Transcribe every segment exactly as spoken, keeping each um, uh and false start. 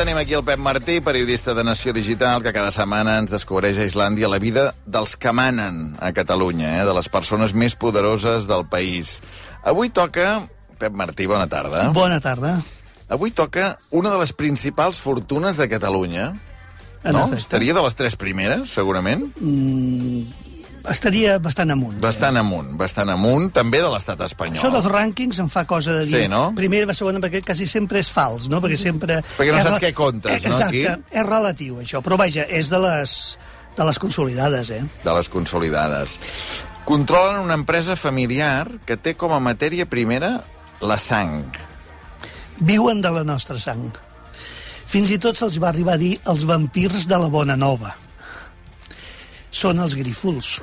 tenim aquí el Pep Martí, periodista de Nació Digital, que cada setmana ens descobreix a Islàndia la vida dels que manen a Catalunya, eh? de les persones més poderoses del país. Avui toca... Pep Martí, bona tarda. Bona tarda. Avui toca una de les principals fortunes de Catalunya. No? Estaria de les tres primeres, segurament? Mm, estaria bastant amunt. Bastant eh? amunt, bastant amunt, també de l'estat espanyol. Això dels rànquings em fa cosa de dir... Sí, no? Primera, segona, perquè quasi sempre és fals, no? Perquè sempre... Perquè no saps què comptes, eh, no, aquí? Exacte, és relatiu, això. Però, vaja, és de les, de les consolidades, eh? De les consolidades. Controlen una empresa familiar que té com a matèria primera la sang. Viuen de la nostra sang. Fins i tot se'ls va arribar a dir els vampirs de la Bona Nova. Són els grífols.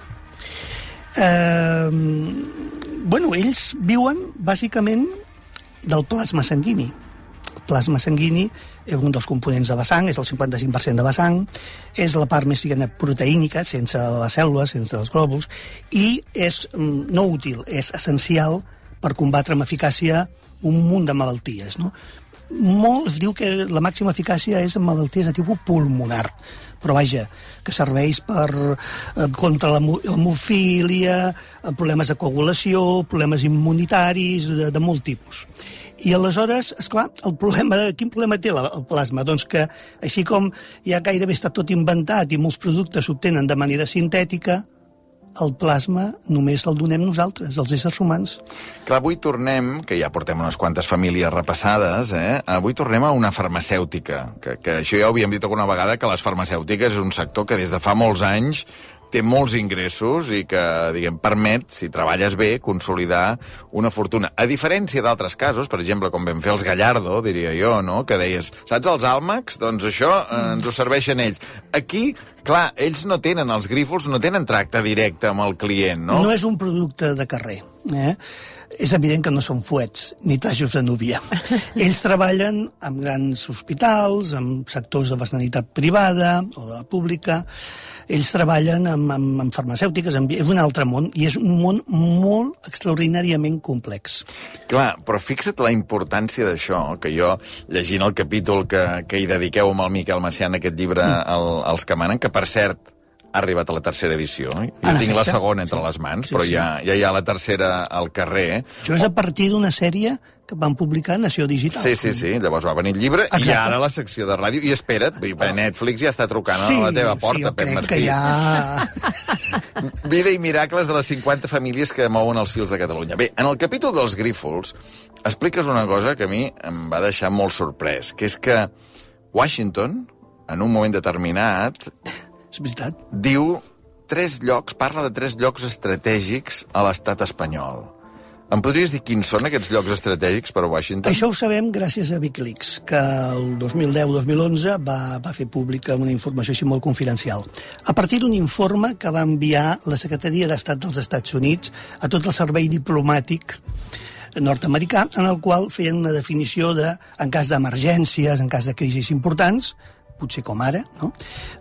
Eh, bueno, ells viuen, bàsicament, del plasma sanguini. El plasma sanguini és un dels components de la sang, és el cinquanta-cinc per cent de la sang, és la part més diguem, proteínica, sense les cèl·lules, sense els glòbuls, i és no útil, és essencial per combatre amb eficàcia un munt de malalties, no? Molt es diu que la màxima eficàcia és en malalties de tipus pulmonar, però vaja, que serveix per, eh, contra l'hemofília, problemes de coagulació, problemes immunitaris, de, de molt tipus. I aleshores, esclar, el problema, quin problema té la, el plasma? Doncs que, així com ja gairebé està tot inventat i molts productes s'obtenen de manera sintètica, el plasma només el donem nosaltres, els éssers humans. Clar, avui tornem, que ja portem unes quantes famílies repassades, eh? Avui tornem a una farmacèutica, que, que això ja ho havíem dit alguna vegada, que les farmacèutiques és un sector que des de fa molts anys té molts ingressos i que, diguem, permet, si treballes bé, consolidar una fortuna. A diferència d'altres casos, per exemple, com vam fer els Gallardo, diria jo, no?, que deies, saps els Almax? Doncs això eh, ens ho serveixen ells. Aquí, clar, ells no tenen, els grífols no tenen tracte directe amb el client, no? No és un producte de carrer, eh? És evident que no són fuets, ni tajos de núvia. Ells treballen amb grans hospitals, amb sectors de la sanitat privada o de la pública. Ells treballen amb, amb, amb farmacèutiques, amb, és un altre món, i és un món molt extraordinàriament complex. Clar, però fixa't la importància d'això, que jo, llegint el capítol que, que hi dediqueu amb el Miquel Macià en aquest llibre, el, Els que manen, que per cert, ha arribat a la tercera edició. Jo ah, tinc la efecte. segona entre les mans, sí, però sí. ja, ja hi ha la tercera al carrer. Això és a partir d'una sèrie que van publicar a Nació Digital. Sí, sí, sí. Llavors va venir el llibre. Exacte. I ara la secció de ràdio. I espera't, Netflix ja està trucant sí, a la teva porta, sí, Pep Martí. Que ja... Vida i miracles de les cinquanta famílies que mouen els fils de Catalunya. Bé, en el capítol dels grífols expliques una cosa que a mi em va deixar molt sorprès, que és que Washington, en un moment determinat, és veritat, diu tres llocs, parla de tres llocs estratègics a l'estat espanyol. Em podries dir quins són aquests llocs estratègics per a Washington? Això ho sabem gràcies a Wikileaks, que el dos mil deu dos mil onze va, va fer pública una informació així molt confidencial. A partir d'un informe que va enviar la Secretaria d'Estat dels Estats Units a tot el servei diplomàtic nord-americà, en el qual feien una definició de, en cas d'emergències, en cas de crisis importants, potser com ara, no?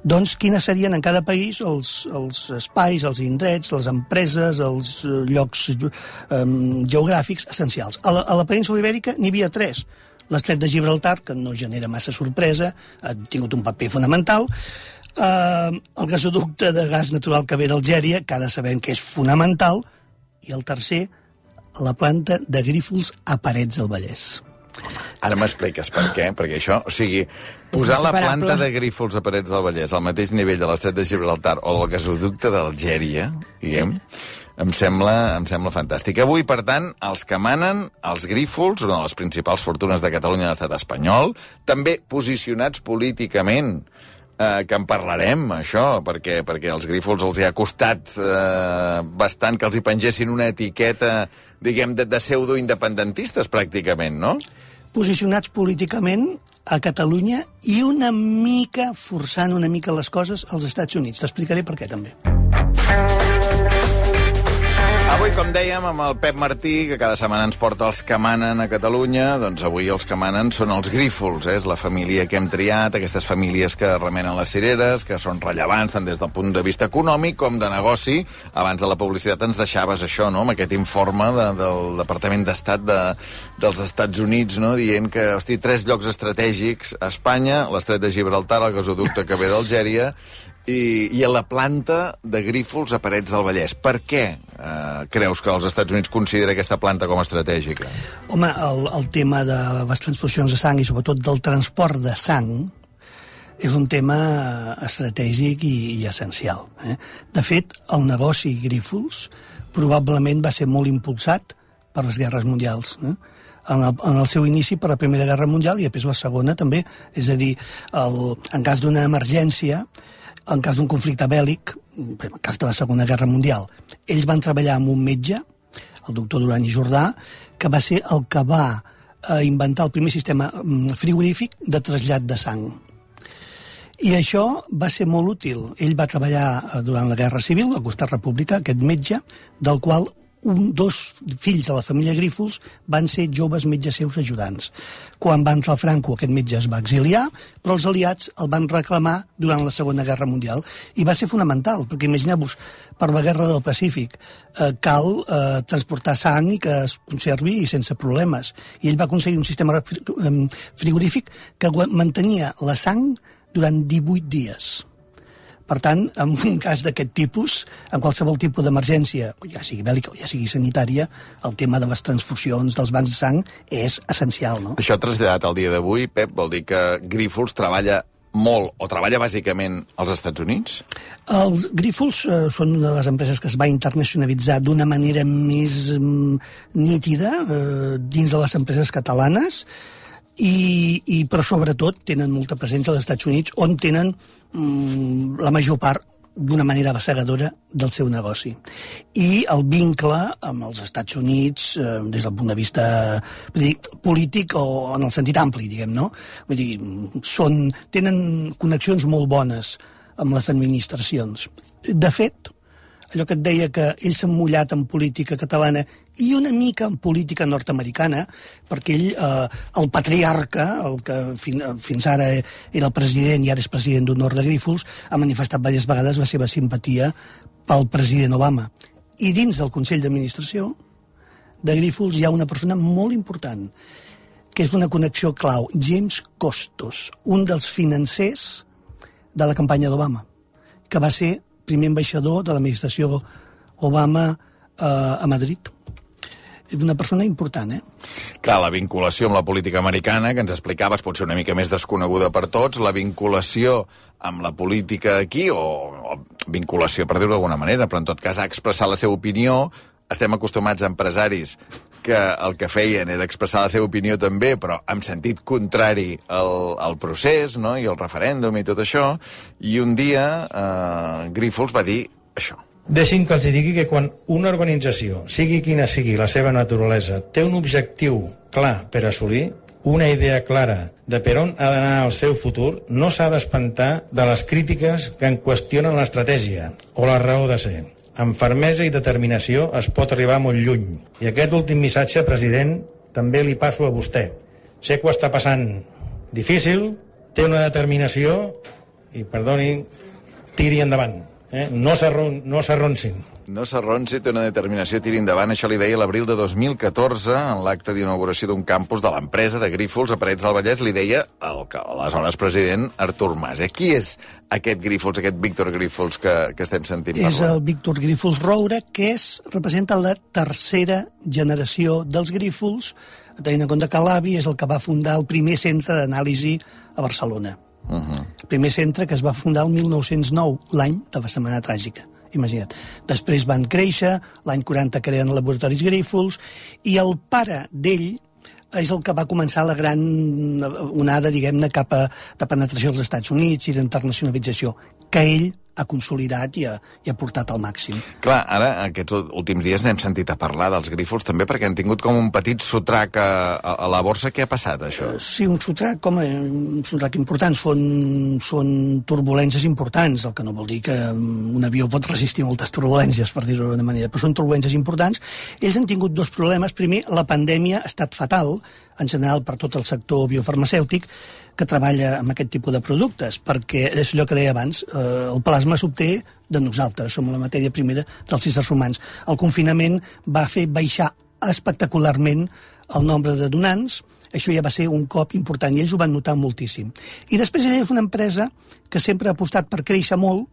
Doncs quines serien en cada país els, els espais, els indrets, les empreses, els llocs um, geogràfics essencials. A la, a la península Ibèrica n'hi havia tres. L'estret de Gibraltar, que no genera massa sorpresa, ha tingut un paper fonamental. Uh, el gasoducte de gas natural que ve d'Algèria, que ara sabem que és fonamental. I el tercer, la planta de grífols a Parets del Vallès. Ara m'expliques per què, perquè això, o sigui, posar la planta de grífols a Parets del Vallès al mateix nivell de l'estret de Gibraltar o del gasoducte d'Algèria, diguem, em sembla, em sembla fantàstic. Avui, per tant, els que manen, els grífols, una de les principals fortunes de Catalunya a l'estat espanyol, també posicionats políticament, eh, que en parlarem, això, perquè, perquè els grífols els hi ha costat eh, bastant que els hi pengessin una etiqueta, diguem, de, de pseudo-independentistes, pràcticament, no? Posicionats políticament a Catalunya i una mica, forçant una mica les coses als Estats Units. T'explicaré per què, també. Avui, com dèiem, amb el Pep Martí, que cada setmana ens porta els que manen a Catalunya, doncs avui els que manen són els Grífols, eh? És la família que hem triat, aquestes famílies que remenen les cireres, que són rellevants tant des del punt de vista econòmic com de negoci. Abans de la publicitat ens deixaves això, no?, amb aquest informe de, del Departament d'Estat de, dels Estats Units, no?, dient que, hosti, tres llocs estratègics a Espanya, l'Estret de Gibraltar, el gasoducte que ve d'Algèria, I, i a la planta de Grífols a Parets del Vallès. Per què eh, creus que els Estats Units considera aquesta planta com a estratègica? Home, el, el tema de les transfusions de sang i sobretot del transport de sang és un tema estratègic i, i essencial. Eh? De fet, el negoci Grífols probablement va ser molt impulsat per les guerres mundials. Eh? En el, en el seu inici per la Primera Guerra Mundial i després la Segona també. És a dir, el, en cas d'una emergència, en cas d'un conflicte bèl·lic, en cas de la Segona Guerra Mundial, ells van treballar amb un metge, el doctor Duran i Jordà, que va ser el que va eh, inventar el primer sistema frigorífic de trasllat de sang. I això va ser molt útil. Ell va treballar durant la Guerra Civil, al costat republicà, aquest metge, del qual un, dos fills de la família Grífols van ser joves metges seus ajudants. Quan va entrar el Franco, aquest metge es va exiliar, però els aliats el van reclamar durant la Segona Guerra Mundial. I va ser fonamental, perquè imagineu-vos, per la Guerra del Pacífic eh, cal eh, transportar sang i que es conservi sense problemes. I ell va aconseguir un sistema frigorífic que mantenia la sang durant divuit dies. Per tant, en un cas d'aquest tipus, en qualsevol tipus d'emergència, ja sigui bèl·lica o ja sigui sanitària, el tema de les transfusions, dels bancs de sang, és essencial, no? Això traslladat al dia d'avui, Pep, vol dir que Grífols treballa molt, o treballa bàsicament als Estats Units? Els Grífols eh, són una de les empreses que es va internacionalitzar d'una manera més mm, nítida eh, dins de les empreses catalanes, I, i però sobretot tenen molta presència als Estats Units, on tenen mm, la major part d'una manera bassegadora del seu negoci. I el vincle amb els Estats Units eh, des del punt de vista vull dir, polític o en el sentit ampli, diguem, no? Vull dir, són, tenen connexions molt bones amb les administracions. De fet, allò que et deia que ells s'han mullat en política catalana i una mica en política nord-americana, perquè ell, eh, el patriarca, el que fin, fins ara era el president i ara és president d'honor de Grífols, ha manifestat diverses vegades la seva simpatia pel president Obama. I dins del Consell d'Administració de Grífols hi ha una persona molt important, que és una connexió clau, James Costos, un dels financers de la campanya d'Obama, que va ser primer ambaixador de l'administració Obama eh, a Madrid. És una persona important, eh? Clar, la vinculació amb la política americana, que ens explicaves, pot ser una mica més desconeguda per tots, la vinculació amb la política aquí, o, o vinculació, per dir-ho d'alguna manera, però en tot cas ha expressat la seva opinió. Estem acostumats a empresaris que el que feien era expressar la seva opinió també, però en sentit contrari al, al procés, no?, i al referèndum i tot això, i un dia eh, Grífols va dir això. Deixin que els digui que quan una organització, sigui quina sigui la seva naturalesa, té un objectiu clar per assolir, una idea clara de per on ha d'anar el seu futur, no s'ha d'espantar de les crítiques que en qüestionen l'estratègia o la raó de ser. Amb fermesa i determinació es pot arribar molt lluny. I aquest últim missatge, president, també li passo a vostè. Sé que ho està passant difícil, té una determinació i, perdoni, tiri endavant. Eh? No s'arronsin. No s'arronsi, té una determinació, tiri endavant. Això li deia l'abril de dos mil catorze, en l'acte d'inauguració d'un campus de l'empresa de Grífols a Parets del Vallès, li deia el que aleshores president Artur Mas. Eh? Qui és aquest Grífols, aquest Víctor Grífols que, que estem sentint parlar? És el Víctor Grífols Roure, que és, representa la tercera generació dels Grífols, tenint en compte que l'avi és el que va fundar el primer centre d'anàlisi a Barcelona. Uh -huh. El primer centre que es va fundar el mil nou-cents nou, l'any de la Setmana Tràgica. Imagina't. Després van créixer, l'any quaranta creen laboratoris Grífols, i el pare d'ell és el que va començar la gran onada, diguem-ne, cap a de penetració als Estats Units i d'internacionalització, que ell ha consolidat i ha, i ha portat al màxim. Clar, ara, aquests últims dies n'hem sentit a parlar dels Grífols també, perquè han tingut com un petit sotrac a, a, a la borsa. Què ha passat, això? Sí, un sotrac, com a, un sotrac important. Són, són turbulències importants, el que no vol dir que un avió pot resistir moltes turbulències, per dir-ho d'una manera, però són turbulències importants. Ells han tingut dos problemes. Primer, la pandèmia ha estat fatal, en general per tot el sector biofarmacèutic, que treballa amb aquest tipus de productes, perquè és allò que deia abans, eh, el plasma s'obté de nosaltres, som la matèria primera dels éssers humans. El confinament va fer baixar espectacularment el nombre de donants, això ja va ser un cop important, i ells ho van notar moltíssim. I després ella és una empresa que sempre ha apostat per créixer molt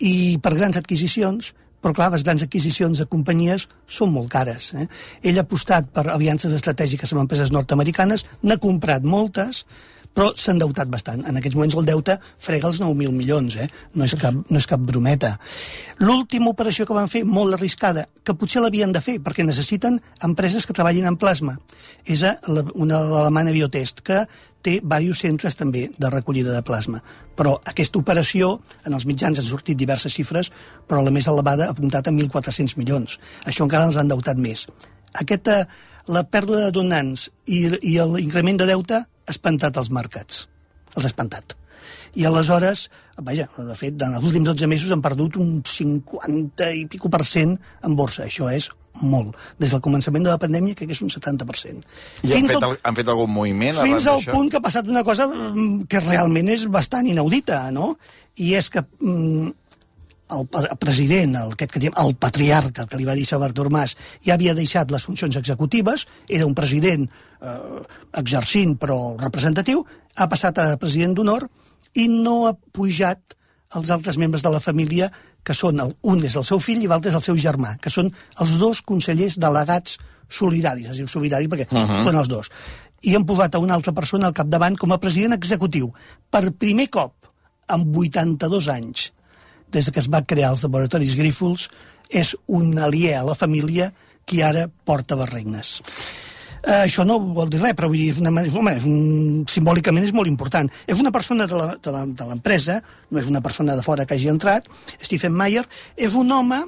i per grans adquisicions, però clar, les grans adquisicions de companyies són molt cares. Eh? Ell ha apostat per aliances estratègiques amb empreses nord-americanes, n'ha comprat moltes, però s'ha endeutat bastant. En aquests moments el deute frega els nou mil milions, eh? no, és cap, no és cap brometa. L'última operació que van fer, molt arriscada, que potser l'havien de fer, perquè necessiten empreses que treballin en plasma. És una alemana Biotest, que té diversos centres també de recollida de plasma. Però aquesta operació, en els mitjans han sortit diverses xifres, però la més elevada ha apuntat a mil quatre-cents milions. Això encara ens ha endeutat més. Aquesta, la pèrdua de donants i, i l'increment de deute ha espantat els mercats. Els ha espantat. I aleshores, vaja, de fet, en els últims dotze mesos han perdut un cinquanta i pico per cent en borsa. Això és molt. Des del començament de la pandèmia, crec que és un setanta per cent. I han fet, al, han fet algun moviment? Fins al punt que ha passat una cosa que realment és bastant inaudita, no? I és que mm, el president, el, aquest que diem, el patriarca, que li va dir Artur Mas, ja havia deixat les funcions executives, era un president eh, exercint però representatiu, ha passat a president d'honor i no ha pujat els altres membres de la família, que són, el, un és el seu fill i l'altre és el seu germà, que són els dos consellers delegats solidaris, es diu solidari perquè uh -huh. són els dos. I han posat a una altra persona al capdavant com a president executiu. Per primer cop, en vuitanta-dos anys, des que es va crear els laboratoris Grífols, és un aliè a la família qui ara porta les regnes. Uh, això no vol dir res, però vull dir, una, home, és un, simbòlicament és molt important. És una persona de l'empresa, no és una persona de fora que hagi entrat, Stephen Meyer, és un home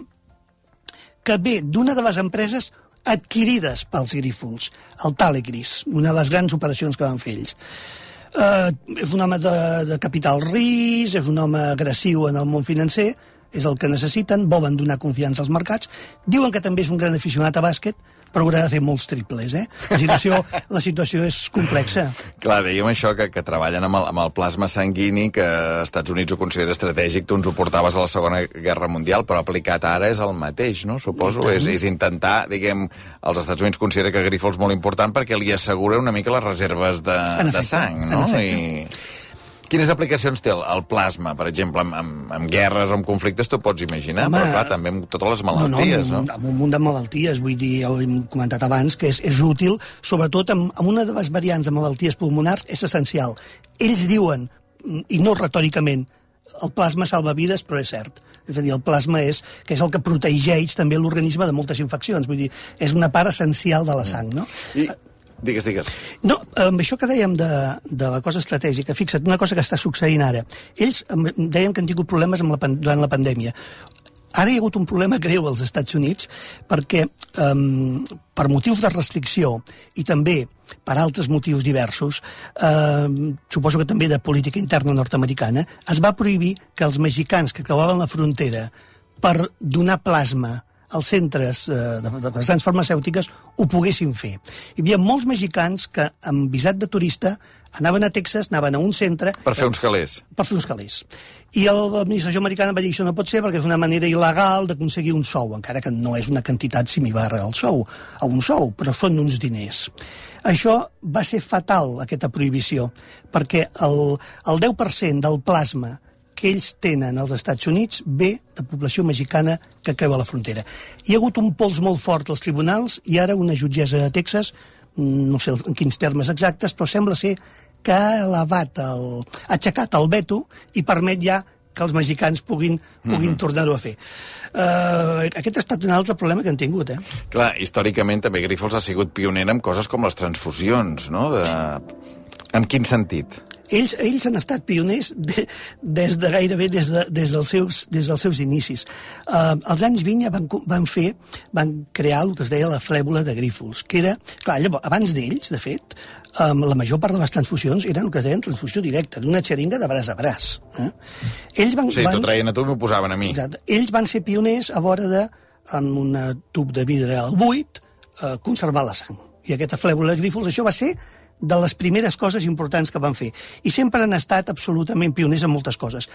que ve d'una de les empreses adquirides pels Grífols, el Talegris, una de les grans operacions que van fer ells. Uh, és un home de, de capital risc, és un home agressiu en el món financer, és el que necessiten, volen donar confiança als mercats, diuen que també és un gran aficionat a bàsquet, però haurà de fer molts triples, eh? La situació, la situació és complexa. Clar, dèiem això, que, que treballen amb el, amb el plasma sanguini, que als Estats Units ho considera estratègic, tu ens ho portaves a la Segona Guerra Mundial, però aplicat ara és el mateix, no? Suposo, és, és intentar, diguem, els Estats Units considera que Grífols és molt important perquè li assegura una mica les reserves de, efecte, de sang, no? I... Quines aplicacions té el, el plasma, per exemple, amb, amb, amb guerres o amb conflictes, t'ho pots imaginar, home, però clar, també amb totes les malalties, no? No, no, amb un munt de malalties, vull dir, ho hem comentat abans, que és, és útil, sobretot amb, amb una de les variants de malalties pulmonars, és essencial. Ells diuen, i no retòricament, el plasma salva vides, però és cert. És a dir, el plasma és, que és el que protegeix també l'organisme de moltes infeccions, vull dir, és una part essencial de la sang, no? I... Digues, digues. No, amb això que dèiem de, de la cosa estratègica, fixa't, una cosa que està succeint ara. Ells dèiem que han tingut problemes amb la, durant la pandèmia. Ara hi ha hagut un problema greu als Estats Units perquè um, per motius de restricció i també per altres motius diversos, eh, suposo que també de política interna nord-americana, es va prohibir que els mexicans que creuaven la frontera per donar plasma als centres eh, de, de les grans farmacèutiques ho poguessin fer. Hi havia molts mexicans que, amb visat de turista, anaven a Texas, anaven a un centre... Per fer uns calés. Per fer uns calés. I l'administració americana va dir que això no pot ser perquè és una manera il·legal d'aconseguir un sou, encara que no és una quantitat similar al sou, a un sou, però són uns diners. Això va ser fatal, aquesta prohibició, perquè el, el deu per cent del plasma que ells tenen als Estats Units ve de població mexicana que creua la frontera. Hi ha hagut un pols molt fort als tribunals i ara una jutgessa de Texas, no sé en quins termes exactes, però sembla ser que ha elevat, el, ha aixecat el veto i permet ja que els mexicans puguin, puguin mm-hmm. tornar-ho a fer. Uh, aquest ha estat un altre problema que han tingut, eh? Clar, històricament també Grífols ha sigut pioner en coses com les transfusions, no? De... En quin sentit? ells, ells han estat pioners de, des de gairebé des, de, des, dels, seus, des dels seus inicis. Uh, als anys vint ja van, van fer, van crear el que es deia la flèbula de Grífols, que era, clar, llavors, abans d'ells, de fet, um, la major part de les transfusions eren el que es deien transfusió directa, d'una xeringa de braç a braç. Eh? Ells van, sí, van, t'ho traien a tu i m'ho posaven a mi. Exacte, ells van ser pioners a vora de, amb un tub de vidre al buit, uh, conservar la sang. I aquesta flèbula de Grífols, això va ser de les primeres coses importants que van fer. I sempre han estat absolutament pioners en moltes coses.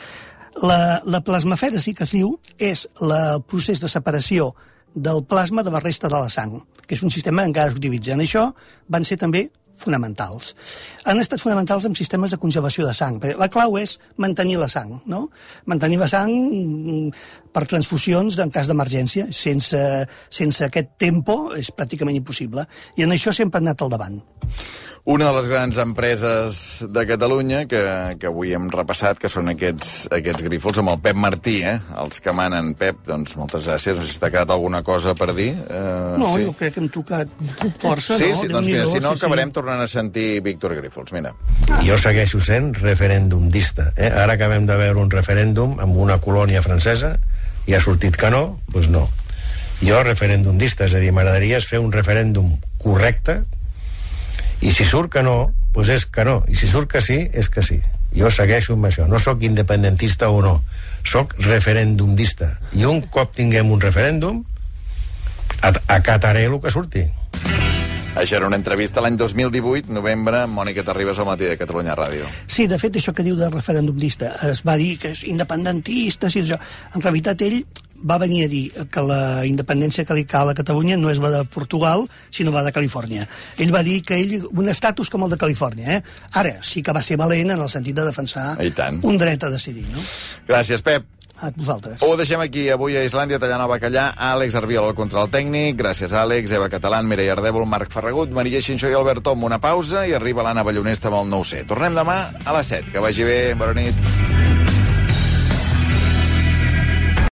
La, la plasmafèresi, que es diu, és la, el procés de separació del plasma de la resta de la sang, que és un sistema que encara s'utilitza. En això van ser també fonamentals. Han estat fonamentals en sistemes de congelació de sang. La clau és mantenir la sang, no? Mantenir la sang per transfusions en cas d'emergència. Sense, sense aquest tempo és pràcticament impossible. I en això sempre han anat al davant. Una de les grans empreses de Catalunya, que, que avui hem repassat, que són aquests, aquests Grífols, amb el Pep Martí, eh? Els que manen. Pep, doncs moltes gràcies. No sé si t'ha quedat alguna cosa per dir. Uh, no, sí. Jo crec que hem tocat força, sí, no? Sí, doncs mira, si no, sí, acabarem sí. tornant a sentir Víctor Grífols. Mira. Ah. Jo segueixo sent referèndumista. Eh? Ara acabem de veure un referèndum amb una colònia francesa i ha sortit que no, doncs no. Jo referèndumista, és a dir, m'agradaria fer un referèndum correcte, i si surt que no, doncs és que no. I si surt que sí, és que sí. Jo segueixo amb això. No sóc independentista o no. Sóc referendumista. I un cop tinguem un referèndum, acataré el que surti. Això era una entrevista l'any dos mil divuit, novembre, Mònica Terribas al Matí de Catalunya Ràdio. Sí, de fet, això que diu de referendumista, es va dir que és independentista, i això. En realitat, ell va venir a dir que la independència que li cal a Catalunya no és la de Portugal, sinó la de Califòrnia. Ell va dir que ell, un estatus com el de Califòrnia, eh? Ara, sí que va ser valent en el sentit de defensar un dret a decidir, no? Gràcies, Pep. A vosaltres. Ho deixem aquí, avui a Islàndia, tallant el bacallà, Àlex Arbiol al control tècnic, gràcies Àlex, Eva Catalán, Mireia Ardèvol, Marc Ferragut, Maria Xinxó i Albert Tom, una pausa i arriba l'Anna Ballonesta amb el nou C. Tornem demà a les set, que vagi bé, bona nit.